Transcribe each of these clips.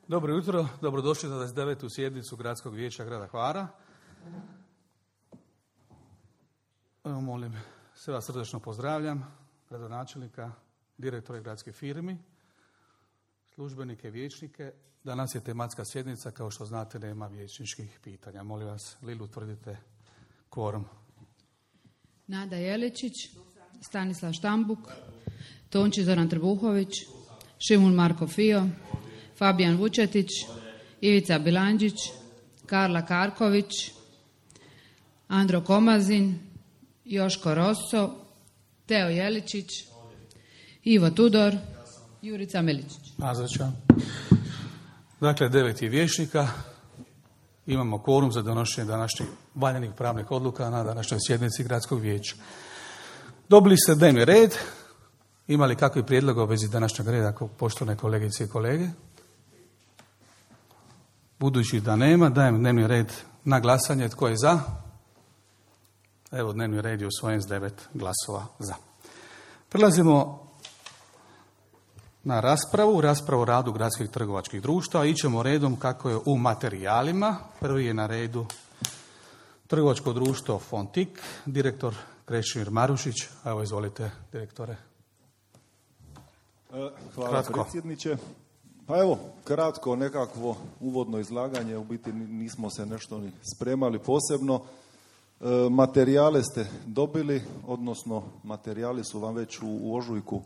Dobro jutro, dobrodošli na 29. sjednicu Gradskog vijeća grada Hvara. Evo, molim, sve vas srdačno pozdravljam, gradonačelnika, direktore gradskih firmi, službenike, vijećnike. Danas je tematska sjednica, kao što znate, nema vijećničkih pitanja. Molim vas, Lilu, utvrdite kvorum. Nada Jeličić, Stanislav Štambuk, Tonči Zoran Trbuhović, Šimun Marko Fio, Fabijan Vučetić, Ivica Bilandžić, Karla Karković, Andro Komazin, Joško Rosso, Teo Jeličić, Ivo Tudor, Jurica Miličić. Nazočan. Dakle, 9 je vijećnika. Imamo kvorum za donošenje današnjih valjanih pravnih odluka na današnjoj sjednici Gradskog vijeća. Dobili ste dnevni red. Ima li kakvi prijedloga u vezi današnjeg reda, poštovane kolegice i kolege? Budući da nema, dajem dnevni red na glasanje. Tko je za? Evo, dnevni red je usvojen s 9 glasova za. Prelazimo na raspravu o radu gradskih trgovačkih društava. Ićemo redom kako je u materijalima. Prvi je na redu trgovačko društvo Fontik, direktor Krešimir Marušić. Evo, izvolite, direktore. Hvala, kratko. Predsjedniče. Pa evo, kratko nekakvo uvodno izlaganje, u biti nismo se nešto ni spremali posebno. Materijale ste dobili, odnosno materijali su vam već u ožujku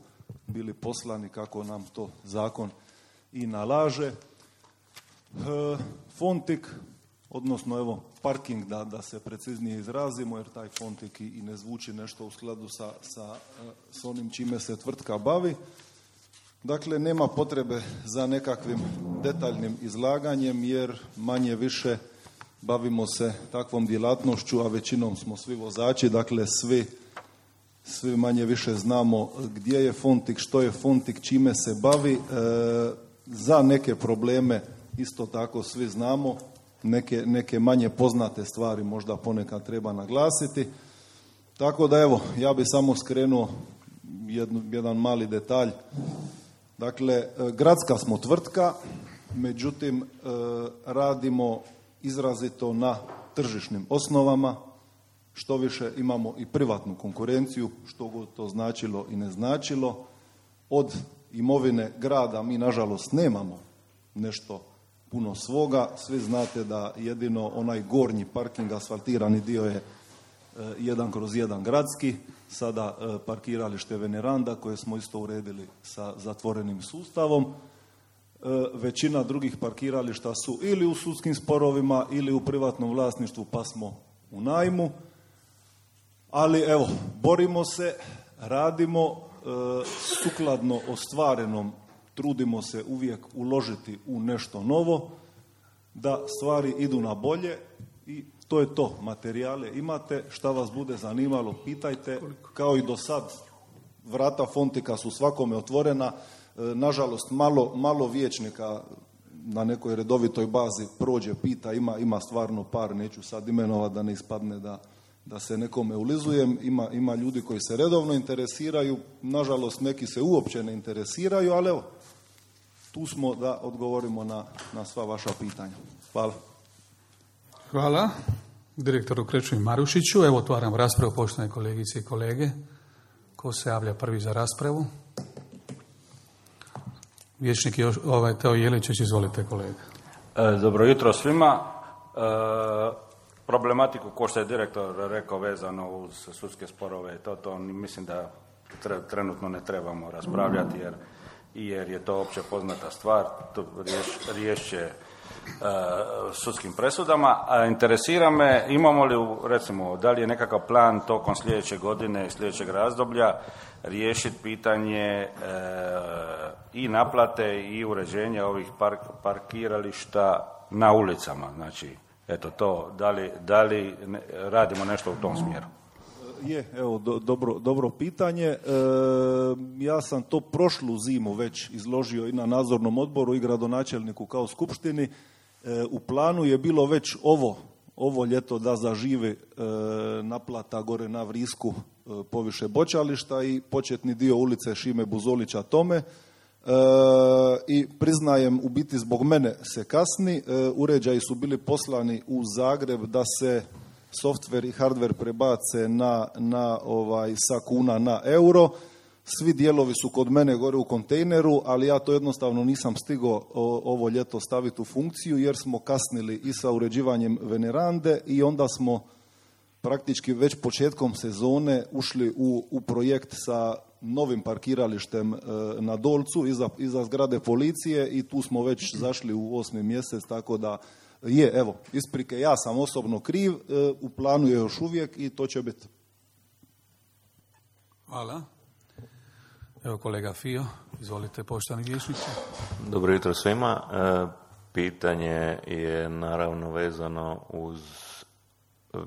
bili poslani kako nam to zakon i nalaže. Fontik, odnosno evo parking, da se preciznije izrazimo, jer taj Fontik i ne zvuči nešto u skladu sa onim čime se tvrtka bavi. Dakle, nema potrebe za nekakvim detaljnim izlaganjem, jer manje više bavimo se takvom djelatnošću, a većinom smo svi vozači, dakle svi manje više znamo gdje je Fontik, što je Fontik, čime se bavi. Za neke probleme isto tako svi znamo, neke manje poznate stvari možda ponekad treba naglasiti. Tako da evo, ja bi samo skrenuo jedan mali detalj. Dakle, gradska smo tvrtka, međutim radimo izrazito na tržišnim osnovama, što više imamo i privatnu konkurenciju, što god to značilo i ne značilo. Od imovine grada mi nažalost nemamo nešto puno svoga. Svi znate da jedino onaj gornji parking, asfaltirani dio je 1/1 gradski, sada parkiralište Veneranda koje smo isto uredili sa zatvorenim sustavom. Većina drugih parkirališta su ili u sudskim sporovima ili u privatnom vlasništvu, pa smo u najmu. Ali evo, borimo se, radimo sukladno ostvarenom, trudimo se uvijek uložiti u nešto novo, da stvari idu na bolje i to je to. Materijale imate, šta vas bude zanimalo, pitajte. Kao i do sad, vrata Fontika su svakome otvorena. Nažalost, malo vijećnika na nekoj redovitoj bazi prođe, pita, ima stvarno par, neću sad imenovati da ne ispadne da se nekome ulizujem. Ima ljudi koji se redovno interesiraju, nažalost neki se uopće ne interesiraju, ali evo, tu smo da odgovorimo na sva vaša pitanja. Hvala. Hvala direktoru Krešimiru Marušiću. Evo, otvaram raspravu, poštovane kolegice i kolege. Ko se javlja prvi za raspravu? Vijećnik Teo Jeličić, izvolite, kolega. Dobro jutro svima. Problematiku, ko što je direktor rekao, vezano uz sudske sporove, to mislim da trenutno ne trebamo raspravljati, jer je to opće poznata stvar. To riješće sudskim presudama. A interesira me, imamo li, recimo, da li je nekakav plan tokom sljedeće godine i sljedećeg razdoblja riješiti pitanje i naplate i uređenja ovih parkirališta na ulicama. Znači, eto to, da li radimo nešto u tom smjeru? Evo, dobro pitanje. Ja sam to prošlu zimu već izložio i na nadzornom odboru i gradonačelniku kao skupštini. U planu je bilo već ovo ljeto da zaživi naplata gore na Vrisku poviše Bočališta i početni dio ulice Šime Buzolića Tome. i priznajem, u biti zbog mene se kasni. Uređaji su bili poslani u Zagreb da se softver i hardver prebace sa kuna na euro. Svi dijelovi su kod mene gore u kontejneru, ali ja to jednostavno nisam stigao ovo ljeto staviti u funkciju jer smo kasnili i sa uređivanjem Venerande i onda smo praktički već početkom sezone ušli u projekt sa novim parkiralištem na Dolcu iza zgrade policije i tu smo već zašli u 8. mjesec, tako da isprike, ja sam osobno kriv, u planu je još uvijek i to će biti. Hvala. Evo kolega Fio, izvolite poštovani vijećniče. Dobro jutro svima. Pitanje je naravno vezano uz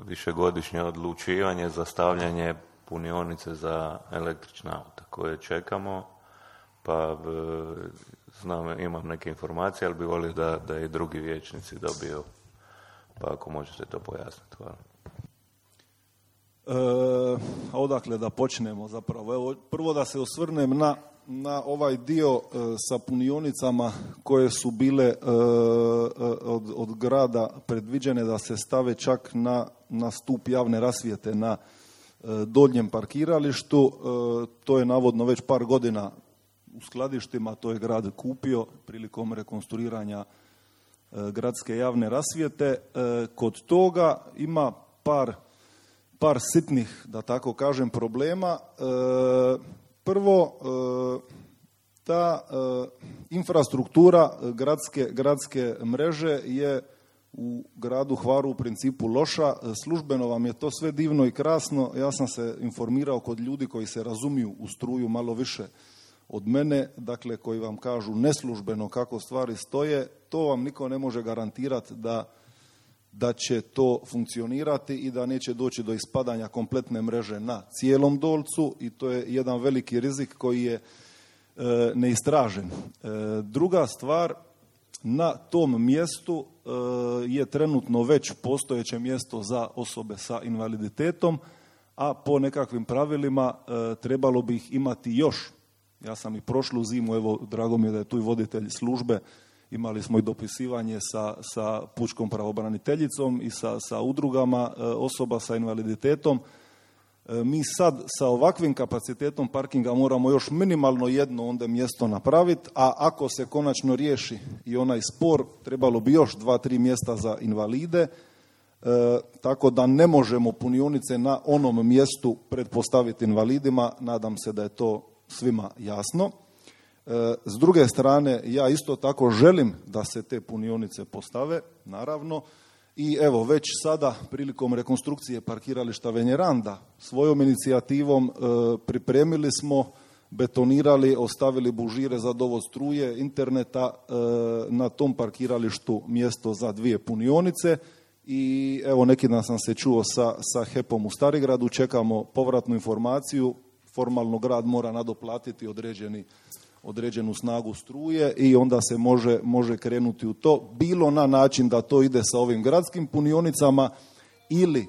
višegodišnje odlučivanje za stavljanje punionice za električna auta koje čekamo, pa znam, imam neke informacije, ali bi volio da i drugi vijećnici dobiju, pa ako možete to pojasniti. Hvala. Odakle da počnemo zapravo? Evo, prvo da se osvrnem na ovaj dio sa punionicama koje su bile od grada predviđene da se stave čak na stup javne rasvjete na donjem parkiralištu. To je navodno već par godina u skladištima, to je grad kupio prilikom rekonstruiranja gradske javne rasvjete. Kod toga ima par sitnih, da tako kažem, problema. Prvo, ta infrastruktura gradske mreže je u gradu Hvaru u principu loša. Službeno vam je to sve divno i krasno. Ja sam se informirao kod ljudi koji se razumiju u struju malo više od mene, dakle koji vam kažu neslužbeno kako stvari stoje. To vam niko ne može garantirati da će to funkcionirati i da neće doći do ispadanja kompletne mreže na cijelom Dolcu i to je jedan veliki rizik koji je neistražen. Druga stvar, na tom mjestu je trenutno već postojeće mjesto za osobe sa invaliditetom, a po nekakvim pravilima trebalo bi ih imati još. Ja sam i prošlu zimu, evo drago mi je da je tu i voditelj službe, imali smo i dopisivanje sa pučkom pravobraniteljicom i sa udrugama osoba sa invaliditetom. Mi sad sa ovakvim kapacitetom parkinga moramo još minimalno jedno onda mjesto napraviti, a ako se konačno riješi i onaj spor, trebalo bi još 2-3 mjesta za invalide, tako da ne možemo punionice na onom mjestu pretpostaviti invalidima. Nadam se da je to svima jasno. S druge strane, ja isto tako želim da se te punionice postave, naravno, i evo već sada prilikom rekonstrukcije parkirališta Veneranda svojom inicijativom pripremili smo, betonirali, ostavili bužire za dovod struje, interneta, na tom parkiralištu mjesto za 2 punionice i evo neki dan sam se čuo sa HEP-om u Starigradu, čekamo povratnu informaciju, formalno grad mora nadoplatiti određenu snagu struje i onda se može krenuti u to, bilo na način da to ide sa ovim gradskim punionicama ili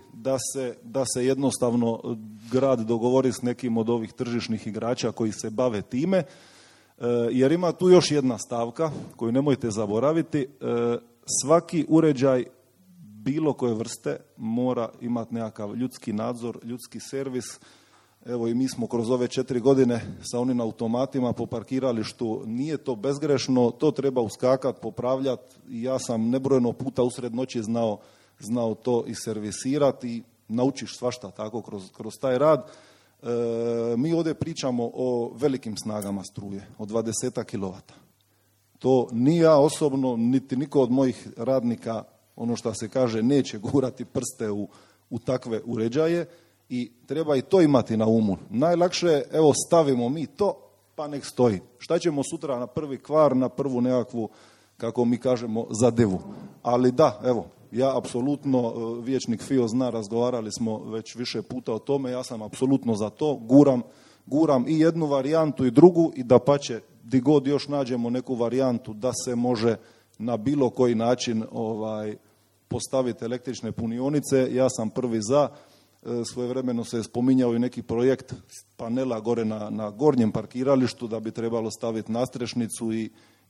da se jednostavno grad dogovori s nekim od ovih tržišnih igrača koji se bave time, jer ima tu još jedna stavka koju nemojte zaboraviti. Svaki uređaj bilo koje vrste mora imati nekakav ljudski nadzor, ljudski servis. Evo i mi smo kroz ove 4 godine sa onim automatima po parkiralištu, nije to bezgrešno, to treba uskakati, popravljati i ja sam nebrojeno puta usred noći znao to i servisirati i naučiš svašta tako kroz taj rad. Mi ovdje pričamo o velikim snagama struje, o 20 kW. To ni ja osobno, niti niko od mojih radnika, ono što se kaže, neće gurati prste u takve uređaje. I treba i to imati na umu. Najlakše je, evo stavimo mi to, pa nek stoji. Šta ćemo sutra na prvi kvar, na prvu nekakvu, kako mi kažemo, zadevu. Ali da, evo, ja apsolutno, vijećnik Fio zna, razgovarali smo već više puta o tome, ja sam apsolutno za to, guram i jednu varijantu i drugu i dapače, di god još nađemo neku varijantu da se može na bilo koji način postaviti električne punionice, ja sam prvi za. svojevremeno se je spominjao i neki projekt panela gore na gornjem parkiralištu da bi trebalo staviti nastrešnicu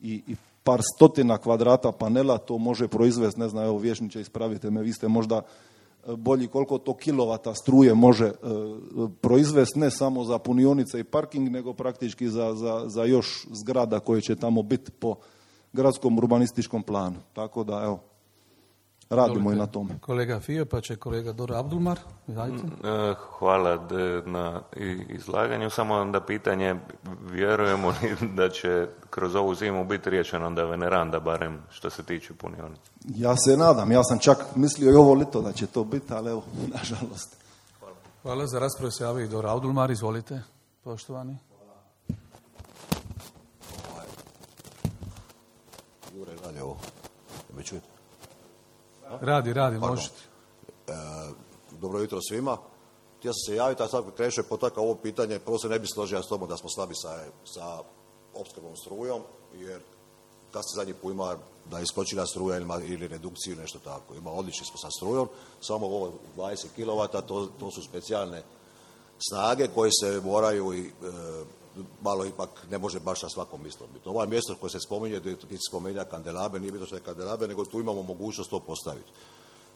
i par stotina kvadrata panela, to može proizvesti, ne znam, evo vijećniče, ispravite me, vi ste možda bolji koliko to kilovata struje može proizvesti, ne samo za punionice i parking, nego praktički za još zgrada koje će tamo biti po gradskom urbanističkom planu. Tako da, evo, radimo i na tome. Kolega Fio, pa će kolega Doro Abdulmar. Hvala na izlaganju. Samo onda pitanje, vjerujemo li da će kroz ovu zimu biti riješeno onda veneranda, barem što se tiče punionice? Ja se nadam, ja sam čak mislio i ovo lito da će to biti, ali evo, nažalost. Hvala, za raspravu se javio i Doro Abdulmar, izvolite, poštovani. Jure, radi ovo. Me čujete? Radi, možete. Dobro jutro svima. Htio sam se javiti, a sad krenuo je potakao ovo pitanje. Prvo se ne bi složio s tobom da smo slabi sa opskrbom strujom, jer kad se zadnji put ima da je iskočila struja ili redukciju, nešto tako. Ima odlični smo sa strujom, samo ovo 20 kW, to su specijalne snage koje se moraju i malo ipak ne može baš na svakom mjestu biti. Ovo mjesto koje se spominje, gdje se spominja kandelabe, nije bitno što je kandelabe, nego tu imamo mogućnost to postaviti.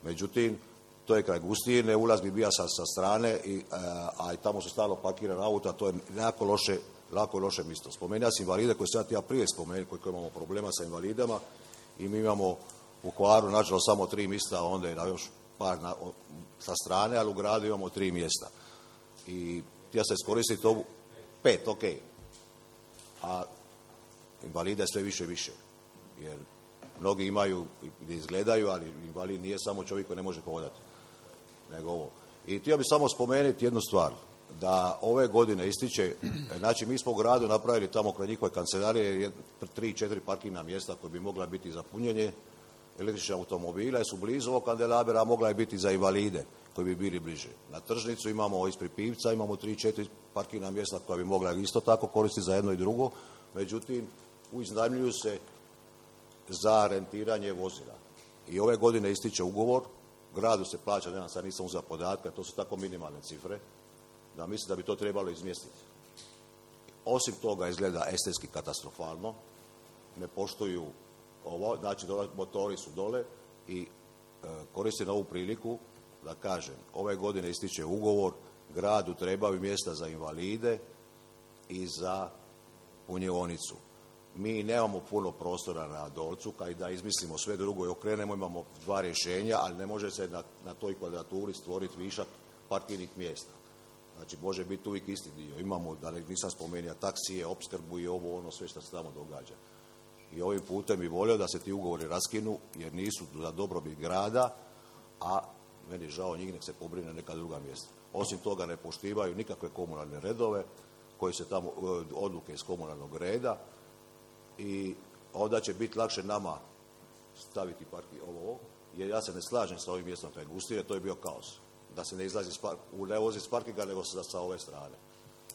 Međutim, to je kraj Gustine, ulaz bi bio sa strane, a i tamo su stalno parkirana auta, to je lako loše mjesto. Spomenuo sam invalide koje sam ja prije spomenuo, koji imamo problema sa invalidama i mi imamo u Hvaru, nažalost, samo 3 mjesta, onda je još par sa strane, ali u gradu imamo 3 mjesta. I htio se iskoristiti ovu 5, ok. A invalida je sve više i više. Jer mnogi imaju gdje izgledaju, ali invalid nije samo čovjek koji ne može hodati. Nego ovo. I htio bih samo spomenuti jednu stvar. Da ove godine ističe, znači mi smo u gradu napravili tamo kraj njihove kancelarije 3-4 parkirna mjesta koje bi mogla biti za punjenje električnih automobila, jer su blizu ovog kandelabera, a mogla je biti za invalide koji bi bili bliže. Na tržnicu imamo ispred Pivca, imamo 3-4 parkirna mjesta koja bi mogla isto tako koristiti za jedno i drugo, međutim, iznajmljuju se za rentiranje vozila. I ove godine ističe ugovor, gradu se plaća, sad nisam uzeo podatke, to su tako minimalne cifre, da mislim da bi to trebalo izmjestiti. Osim toga izgleda estetski katastrofalno, ne poštuju ovo, znači motori su dole i koristim ovu priliku da kažem, ove godine ističe ugovor, gradu trebaju mjesta za invalide i za punjionicu. Mi nemamo puno prostora na Dolcu, kaj da izmislimo sve drugo i okrenemo, imamo 2 rješenja, ali ne može se na toj kvadraturi stvoriti višak parkirnih mjesta. Znači, može biti uvijek isti dio. Imamo, da nisam spomenuo, taksije, opskrbu i ovo, ono, sve što se tamo događa. I ovim putem bi volio da se ti ugovori raskinu, jer nisu za dobrobit grada, a meni je žao njih, nek se pobrine neka druga mjesta. Osim toga ne poštivaju nikakve komunalne redove, koje se tamo, odluke iz komunalnog reda, i onda će biti lakše nama staviti ovo, jer ja se ne slažem sa ovim mjestom kraj Gustine, to je bio kaos. Da se ne izlazi, ne vozi s parkinga, nego sa ove strane.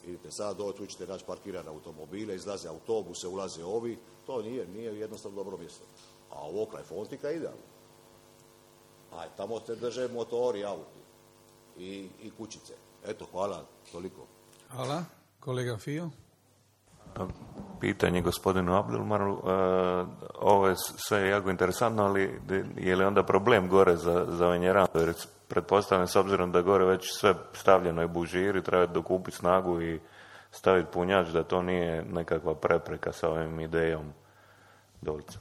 Vidite, sada tu ćete naći parkirane automobile, izlaze autobuse, ulaze ovi, to nije jednostavno dobro mjesto. A ovo kraj Fontika je idealno. A tamo te drže motori, auti i kućice. Eto, hvala, toliko. Hvala. Kolega Fio? Pitanje gospodinu Abdulmaru, ovo je sve jako interesantno, ali je li onda problem gore za venjerandu? Jer pretpostavljam, s obzirom da gore već sve stavljeno je bužiri, treba dokupiti snagu i staviti punjač, da to nije nekakva prepreka sa ovim idejom Dolca.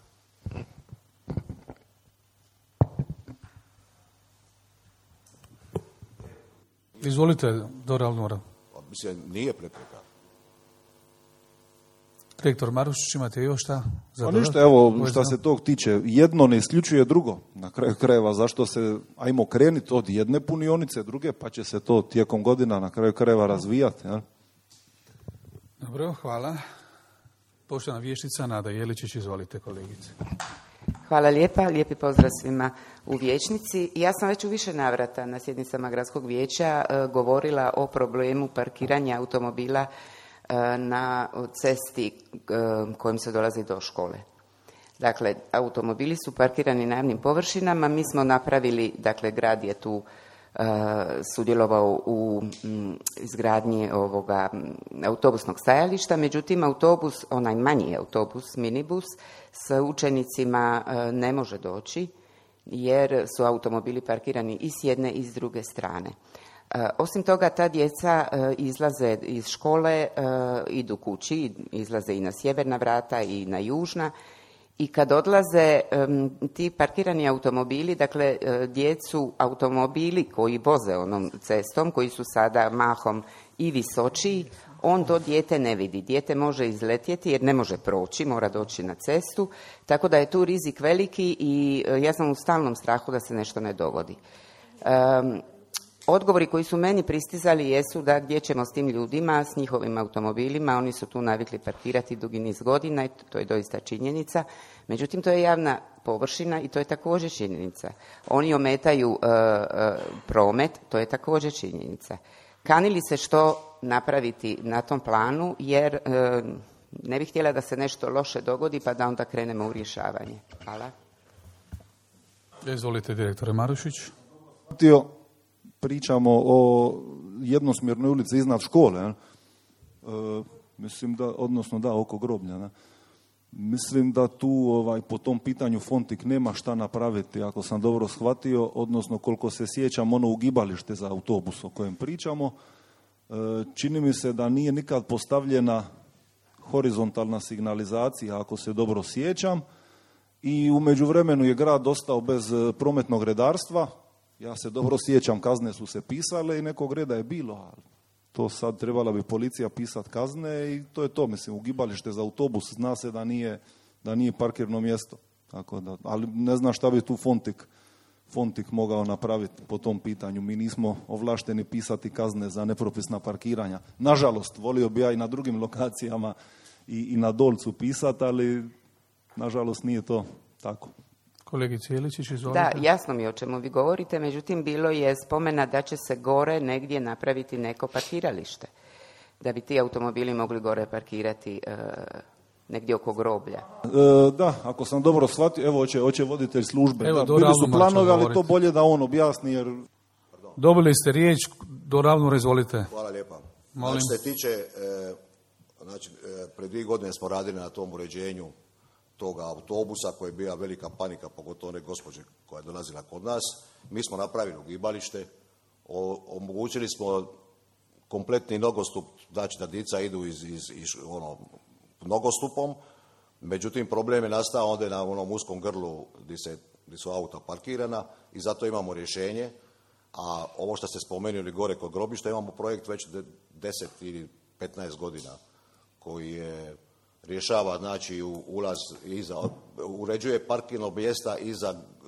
Izvolite, Doro Abdulmar. Mislim, nije prepreka. Rektor Marušić, imate još šta? Pa ništa, evo, šta se tog tiče, jedno ne isključuje drugo. Na kraju krajeva, zašto se, ajmo krenuti od jedne punionice, druge, pa će se to tijekom godina na kraju krajeva razvijati. Ja? Dobro, hvala. Poštovana vijećnica Nada Jeličić, izvolite, kolegice. Hvala lijepa, lijepi pozdrav svima u vijećnici. Ja sam već u više navrata na sjednicama gradskog vijeća govorila o problemu parkiranja automobila na cesti kojim se dolazi do škole. Dakle, automobili su parkirani na javnim površinama, mi smo napravili, dakle, grad je tu sudjelovao u izgradnji ovoga autobusnog stajališta, međutim autobus, onaj manji autobus, minibus, s učenicima ne može doći jer su automobili parkirani i s jedne i s druge strane. Osim toga, ta djeca izlaze iz škole, idu kući, izlaze i na sjeverna vrata i na južna, i kad odlaze ti parkirani automobili, dakle djecu automobili koji voze onom cestom, koji su sada mahom i visočiji, on to dijete ne vidi. Dijete može izletjeti jer ne može proći, mora doći na cestu, tako da je tu rizik veliki i ja sam u stalnom strahu da se nešto ne dogodi. Odgovori koji su meni pristizali jesu da gdje ćemo s tim ljudima, s njihovim automobilima, oni su tu navikli parkirati dugi niz godina i to je doista činjenica. Međutim, to je javna površina i to je također činjenica. Oni ometaju promet, to je također činjenica. Kani li se što napraviti na tom planu, jer ne bih htjela da se nešto loše dogodi pa da onda krenemo u rješavanje. Hvala. Izvolite, direktore Marušić. Pričamo o jednosmjernoj ulici iznad škole, mislim da, odnosno da, oko groblja. Ne? Mislim da tu po tom pitanju Fontik nema šta napraviti, ako sam dobro shvatio, odnosno koliko se sjećam ono ugibalište za autobus o kojem pričamo, čini mi se da nije nikad postavljena horizontalna signalizacija, ako se dobro sjećam, i u međuvremenu je grad ostao bez prometnog redarstva. Ja se dobro sjećam, kazne su se pisale i nekog reda je bilo, ali to sad trebala bi policija pisati kazne i to je to, mislim, ugibalište za autobus, zna se da nije parkirno mjesto, tako da, ali ne znam šta bi tu Fontik mogao napraviti po tom pitanju. Mi nismo ovlašteni pisati kazne za nepropisna parkiranja. Nažalost, volio bi ja i na drugim lokacijama i na Dolcu pisati, ali nažalost nije to tako. Kolegice Jeličić, izvolite. Da, jasno mi je o čemu vi govorite, međutim bilo je spomena da će se gore negdje napraviti neko parkiralište, da bi ti automobili mogli gore parkirati negdje oko groblja. Da, ako sam dobro shvatio, evo hoće voditelj službe. Evo, bili su planovi, ali to bolje da on objasni. Jer... Dobili ste riječ, do Ravnora, izvolite. Hvala lijepa. Molim. Što se tiče, pred 2 godine smo radili na tom uređenju toga autobusa koji je bila velika panika, pogotovo one gospođe koja je dolazila kod nas. Mi smo napravili ugibalište, omogućili smo kompletni nogostup, znači da djeca idu iz nogostupom, međutim problem je nastao onda na onom uskom grlu gdje su auta parkirana i zato imamo rješenje, a ovo što ste spomenuli gore kod grobišta, imamo projekt već 10 ili 15 godina koji je rješava, znači, ulaz uređuje parkirno mjesta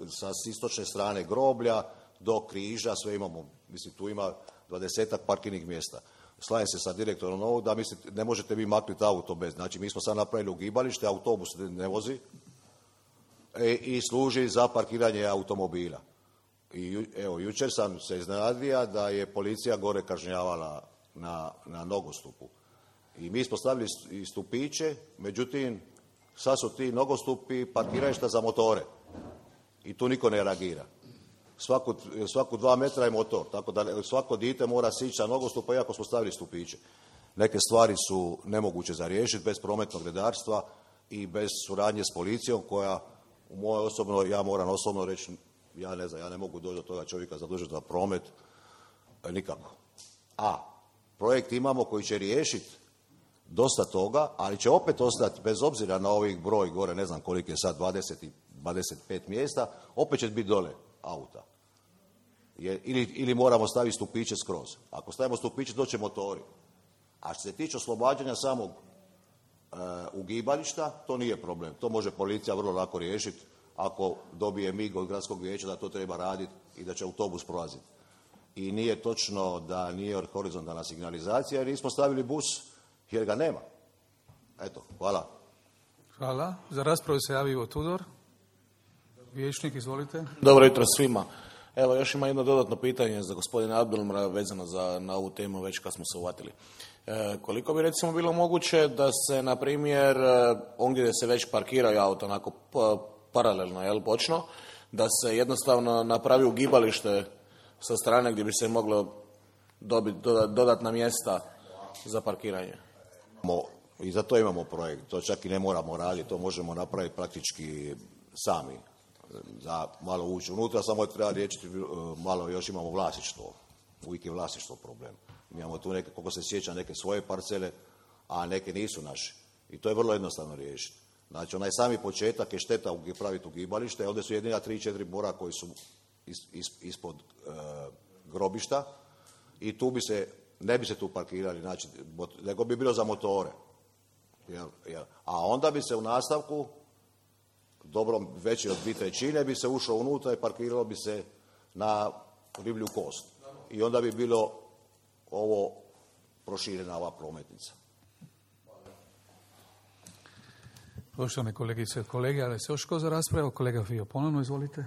sa istočne strane groblja do križa, sve imamo, mislim, tu ima 20-ak parkirnih mjesta. Slažem se sa direktorom ovog da ne možete vi maknuti auto bez, znači mi smo sad napravili ugibalište, autobus ne vozi i služi za parkiranje automobila. I evo, jučer sam se iznenadio da je policija gore kažnjavala na nogostupu. I mi smo stavili i stupiće, međutim, sad su ti nogostupi parkirališta za motore. I tu niko ne reagira. Svaku 2 metra je motor, tako da svako dijete mora sići sa nogostupa iako smo stavili stupiće. Neke stvari su nemoguće za riješiti bez prometnog redarstva i bez suradnje s policijom koja, ja moram osobno reći, ja ne znam, ja ne mogu doći do toga čovjeka zadužiti za promet, nikako. A projekt imamo koji će riješiti dosta toga, ali će opet ostati, bez obzira na ovih broj gore, ne znam koliko je sad, 25 mjesta, opet će biti dole auta. Ili moramo staviti stupiće skroz. Ako stavimo stupiće, doće motori. A što se tiče oslobađanja samog ugibališta, to nije problem. To može policija vrlo lako riješiti ako dobije mig od gradskog vijeća da to treba raditi i da će autobus prolaziti. I nije točno da nije horizontalna signalizacija jer nismo stavili bus jer ga nema. Eto, hvala. Hvala. Za raspravu se javio Tudor. Vijećnik, izvolite. Dobro jutro svima. Evo, još ima jedno dodatno pitanje za gospodina Abdelmra vezano na ovu temu već kad smo se uvatili. Koliko bi recimo bilo moguće da se, na primjer, on gdje se već parkiraju auto onako paralelno, bočno, da se jednostavno napravi ugibalište sa strane gdje bi se moglo dobiti dodatna mjesta za parkiranje. I za to imamo projekt, to čak i ne moramo raditi, to možemo napraviti praktički sami. Za malo ući unutra, samo treba riješiti, malo još imamo vlasništvo, uvijek je vlasništvo problem. Mi imamo tu neke, koliko se sjeća, neke svoje parcele, a neke nisu naše. I to je vrlo jednostavno riješiti. Znači, onaj sami početak je šteta praviti ugibalište, ovdje su jedina 3-4 bora koji su ispod grobišta i tu ne bi se tu parkirali, znači, nego bi bilo za motore. A onda bi se u nastavku, dobro veći od 2/3 bi se ušlo unutra i parkiralo bi se na riblju kost. I onda bi bilo ovo proširena ova prometnica. Poštovane kolegice i kolege, ali se još ko za raspravu? Kolega Fio, ponovno izvolite.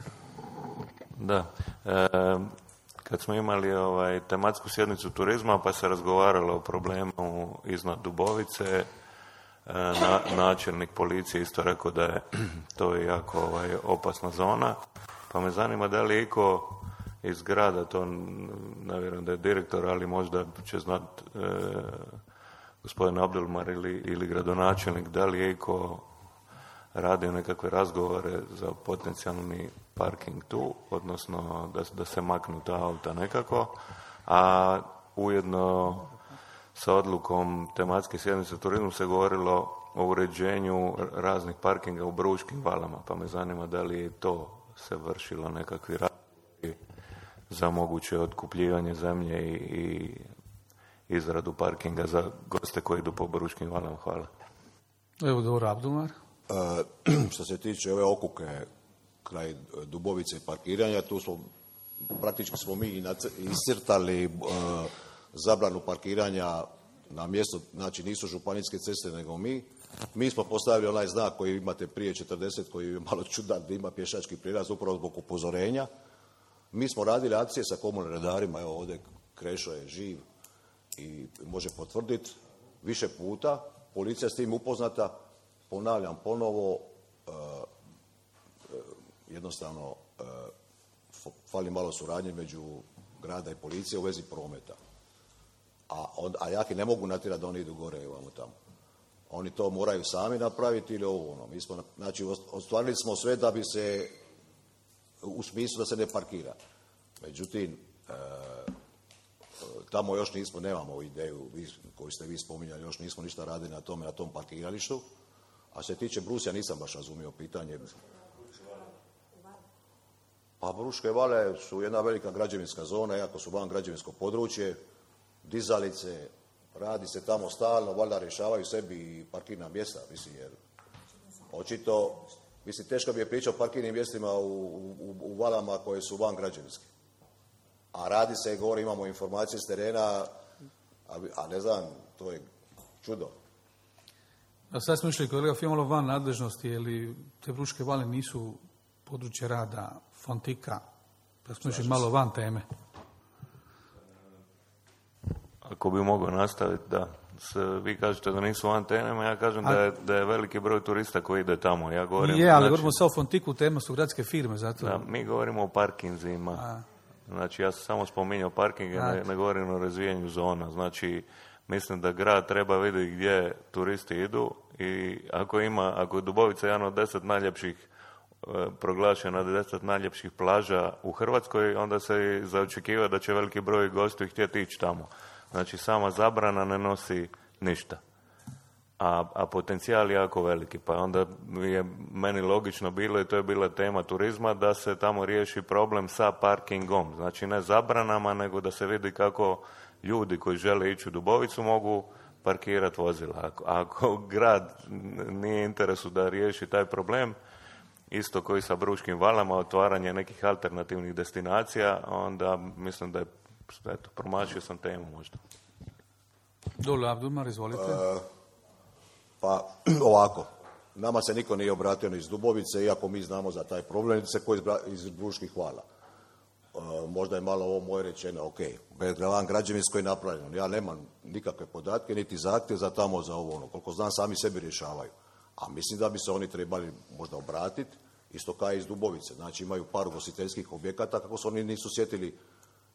Da. Kad smo imali tematsku sjednicu turizma, pa se razgovaralo o problemu iznad Dubovice, načelnik policije isto rekao da je to jako opasna zona, pa me zanima da li je iko iz grada, to ne vjerujem da je direktor, ali možda će znat gospodin Abdelmar ili gradonačelnik, da li je iko radio nekakve razgovore za potencijalni parking tu, odnosno da se maknu ta auta nekako, a ujedno sa odlukom tematske sjednice turizmu se govorilo o uređenju raznih parkinga u Bruškim valama, pa me zanima da li je to se vršilo nekakvi razgovori za moguće otkupljivanje zemlje i izradu parkinga za goste koji idu po Bruškim valama. Hvala. Evo dobro, Abdulmar. Što se tiče ove okuke kraj Dubovice i parkiranja, tu praktički smo mi iscrtali zabranu parkiranja na mjesto, znači nisu županijske ceste nego mi. Mi smo postavili onaj znak koji imate prije 40, koji je malo čudan da ima pješački prijelaz upravo zbog upozorenja. Mi smo radili akcije sa komunalnim redarima, evo ovdje Krešo je živ i može potvrditi više puta. Policija s tim upoznata, ponavljam ponovo, jednostavno fali malo suradnje među grada i policije u vezi prometa. A jaki ne mogu natjerati da oni idu gore i ovamo tamo. Oni to moraju sami napraviti ili ovo ono. Mi smo, znači, ostvarili smo sve da bi se, u smislu da se ne parkira. Međutim, tamo još nemamo ideju koju ste vi spominjali, još nismo ništa radili na tom parkiralištu. A što se tiče Brusija, nisam baš razumio pitanje. Pa Bruške vale su jedna velika građevinska zona, iako su van građevinsko područje, dizalice, radi se tamo stalno, valjda rješavaju sebi parkirna mjesta, mislim, jer očito, mislim, teško bi je pričao o parkirnim mjestima u valama koje su van građevinske. A radi se, govori, imamo informacije s terena, a ne znam, to je čudo. A sad smo išli, kolega Fio, malo van nadležnosti, jer te Bruške vale nisu područje rada Fontika, pa smo išli malo van teme. Ako bi mogao nastaviti, da. Vi kažete da nisu van teme, ja kažem da je veliki broj turista koji ide tamo. Ja govorim, ali govorimo sad o Fontiku, tema su gradske firme, zato... Da, mi govorimo o parkinzima. Znači, ja sam samo spominjao parkinge, ne govorim o razvijenju zona. Znači, mislim da grad treba vidjeti gdje turisti idu i ako je Dubovica jedan od 10 najljepših proglašena 10 najljepših plaža u Hrvatskoj, onda se zaočekiva da će veliki broj gostiju htjeti ići tamo. Znači, sama zabrana ne nosi ništa. A potencijal je jako veliki. Pa onda je meni logično bilo, i to je bila tema turizma, da se tamo riješi problem sa parkingom. Znači, ne zabranama, nego da se vidi kako ljudi koji žele ići u Dubovicu mogu parkirati vozila. Ako grad nije interesu da riješi taj problem, isto koji sa Bruškim valama, otvaranje nekih alternativnih destinacija, onda mislim da je, promašio sam temu možda. Dole, Abdulmar, izvolite. Pa ovako, nama se niko nije obratio ni iz Dubovice, iako mi znamo za taj problem, se koji iz Bruških vala. Možda je malo ovo moje rečeno, ok, van građevinsko je napravljeno. Ja nemam nikakve podatke, niti zahtjev za tamo, za ovo ono. Koliko znam, sami sebi rješavaju. A mislim da bi se oni trebali možda obratiti, isto kao iz Dubovice. Znači, imaju par ugostiteljskih objekata, kako se oni nisu sjetili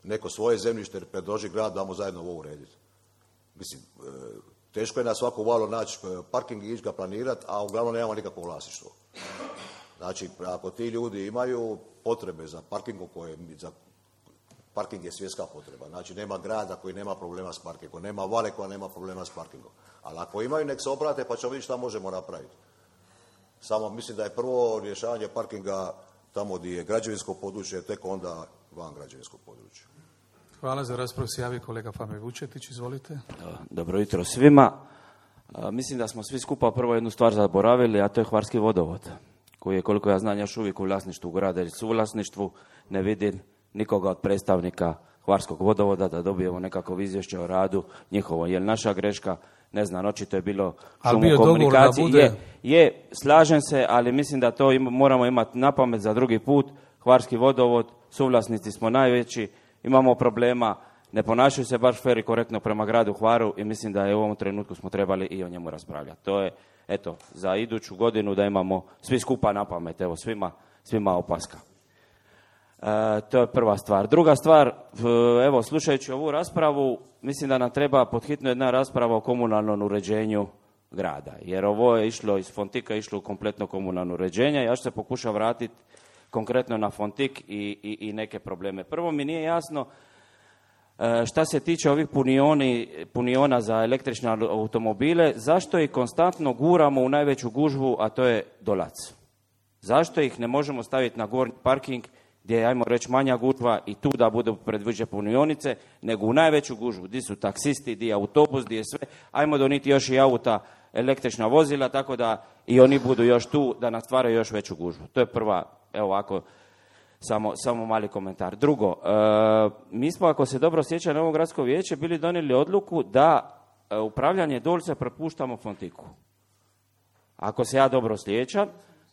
neko svoje zemljište predloži grad da mu zajedno ovo urediti. Mislim, teško je na svaku valu naći parking i ići ga planirati, a uglavnom nemamo nikakvo vlasništvo. Znači, ako ti ljudi imaju potrebe za parkingom, parking je svjetska potreba. Znači, nema grada koji nema problema s parkingom, nema vale koja nema problema s parkingom. Ali ako imaju, nek se obrate pa ćemo vidjeti šta možemo napraviti. Samo mislim da je prvo rješavanje parkinga tamo gdje je građevinsko područje, tek onda van građevinskog područja. Hvala. Za raspravu se javi kolega Fabijan Vučetić, izvolite. Dobro jutro svima. Mislim da smo svi skupa prvo jednu stvar zaboravili, a to je Hvarski vodovod, koji je, koliko ja znam, još uvijek u vlasništvu grada ili suvlasništvu. Ne vidim nikoga od predstavnika Hvarskog vodovoda da dobijemo nekako izvješće o radu njihovo. Je li naša greška? Ne znam, očito je bilo šum u komunikaciji. Bude... slažem se, ali mislim da to moramo imati na pamet za drugi put. Hvarski vodovod, suvlasnici smo najveći, imamo problema, ne ponašaju se baš fer i korektno prema gradu Hvaru i mislim da je u ovom trenutku smo trebali i o njemu raspravljati. To je, eto, za iduću godinu da imamo svi skupa na pamet, evo, svima opaska. To je prva stvar. Druga stvar, evo, slušajući ovu raspravu, mislim da nam treba podhitno jedna rasprava o komunalnom uređenju grada. Jer ovo je išlo iz Fontika, išlo u kompletno komunalno uređenje. Ja ću se pokušati vratiti konkretno na Fontik i neke probleme. Prvo mi nije jasno šta se tiče ovih puniona za električne automobile, zašto ih konstantno guramo u najveću gužvu, a to je Dolac. Zašto ih ne možemo staviti na gornji parking gdje je, ajmo reći, manja gužva i tu da budu predviđene punionice, nego u najveću gužvu, gdje su taksisti, gdje je autobus, gdje je sve, ajmo doniti još i auta, električna vozila, tako da i oni budu još tu, da nastvaraju još veću gužvu. To je prva, evo ovako, samo mali komentar. Drugo, mi smo, ako se dobro sjeća, na ovo gradsko vijeće bili donijeli odluku da upravljanje Dolce prepuštamo Fontiku. Ako se ja dobro sjećam,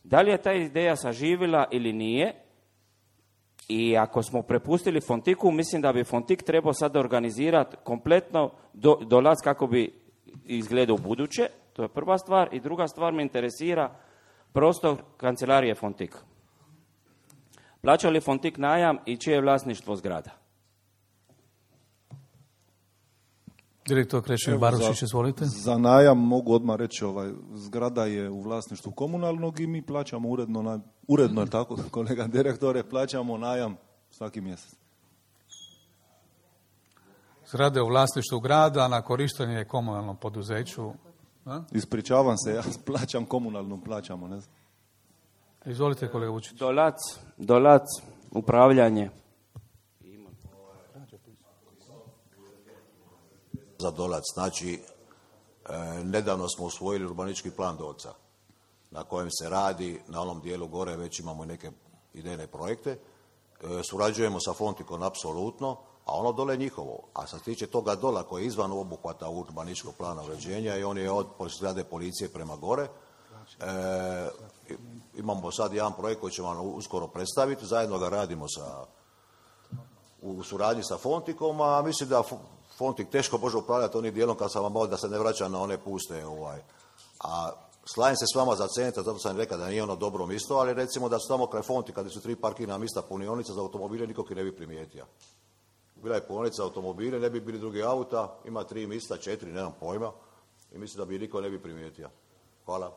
da li je ta ideja saživila ili nije? I ako smo prepustili Fontiku, mislim da bi Fontik trebao sad organizirati kompletno Dolac kako bi izgledao u buduće. To je prva stvar. I druga stvar me interesira prostor kancelarije Fontik. Plaća li Fontik najam i čije je vlasništvo zgrada? Direktor Krešimir Barušić, izvolite. Za najam mogu odmah reći, zgrada je u vlasništvu komunalnog i mi plaćamo uredno je tako, kolega direktore, plaćamo najam svaki mjesec. Zgrade u vlasništvu grada, na korištenje komunalnom poduzeću. A? Ispričavam se, ja plaćam komunalnom, plaćamo, ne znam. Izvolite, kolega Vučić. Dolac, upravljanje. Za Dolac, znači, nedavno smo usvojili urbanistički plan Dolca, na kojem se radi, na onom dijelu gore već imamo neke idejne projekte, surađujemo sa Fontikom apsolutno, a ono dole je njihovo. A što se tiče toga dola koji je izvan obuhvata urbanističkog plana uređenja i on je od zgrade policije prema gore, imamo sad jedan projekt koji ćemo vam uskoro predstaviti, zajedno ga radimo u suradnji sa Fontikom, a mislim da Fontik teško može upravljati onim dijelom kad sam vam malo da se ne vraća na one puste. A slajem se s vama za centar, zato sam rekao da nije ono dobro mjesto, ali recimo da su tamo kraj Fontika, kad su 3 parkirna mjesta punionica za automobile, nikog ih ne bi primijetio. Bila je punionica automobile, ne bi bili drugi auta, ima 3 mjesta, 4, nemam pojma, i mislim da bi niko ne bi primijetio. Hvala.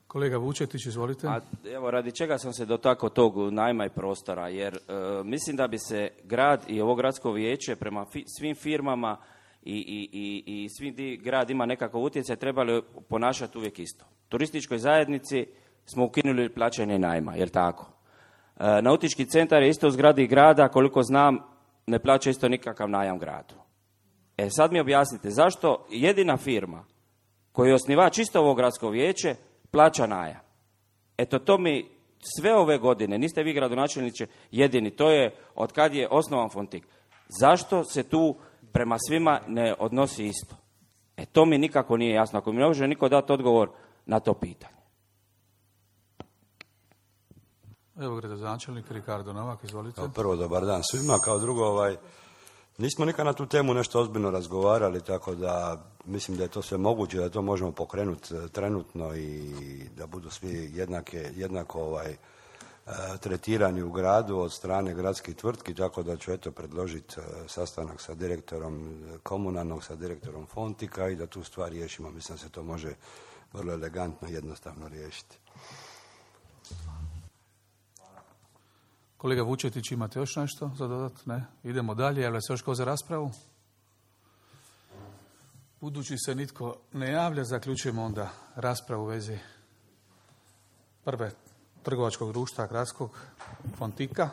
Kolega Vučetić, izvolite. Evo, radi čega sam se dotakao tog najma i prostora, jer mislim da bi se grad i ovo gradsko vijeće prema svim firmama i svi grad ima nekakav utjecaj, trebali ponašati uvijek isto. Turističkoj zajednici smo ukinuli plaćanje najma, jel tako? Nautički centar je isto u zgradi grada, koliko znam, ne plaća isto nikakav najam gradu. Sad mi objasnite, zašto jedina firma koja je osnivač isto ovo gradsko vijeće plaća najam? Eto, to mi sve ove godine, niste vi gradonačelniče jedini, to je od kad je osnovan Fontik. Zašto se tu prema svima ne odnosi isto? To mi nikako nije jasno. Ako mi ne može niko dati odgovor na to pitanje. Evo gradonačelnik Ricardo Novak, izvolite. Kao prvo, dobar dan svima. Kao drugo, nismo nikad na tu temu nešto ozbiljno razgovarali, tako da mislim da je to sve moguće, da to možemo pokrenuti trenutno i da budu svi jednako tretirani u gradu od strane gradskih tvrtki, tako da ću eto predložiti sastanak sa direktorom komunalnog, sa direktorom Fontika i da tu stvar riješimo. Mislim da se to može vrlo elegantno i jednostavno riješiti. Kolega Vučetić, imate još nešto za dodat? Ne? Idemo dalje. Javlja se još ko za raspravu? Budući se nitko ne javlja, zaključujemo onda raspravu u vezi prve trgovačkog društva gradskog Fontika.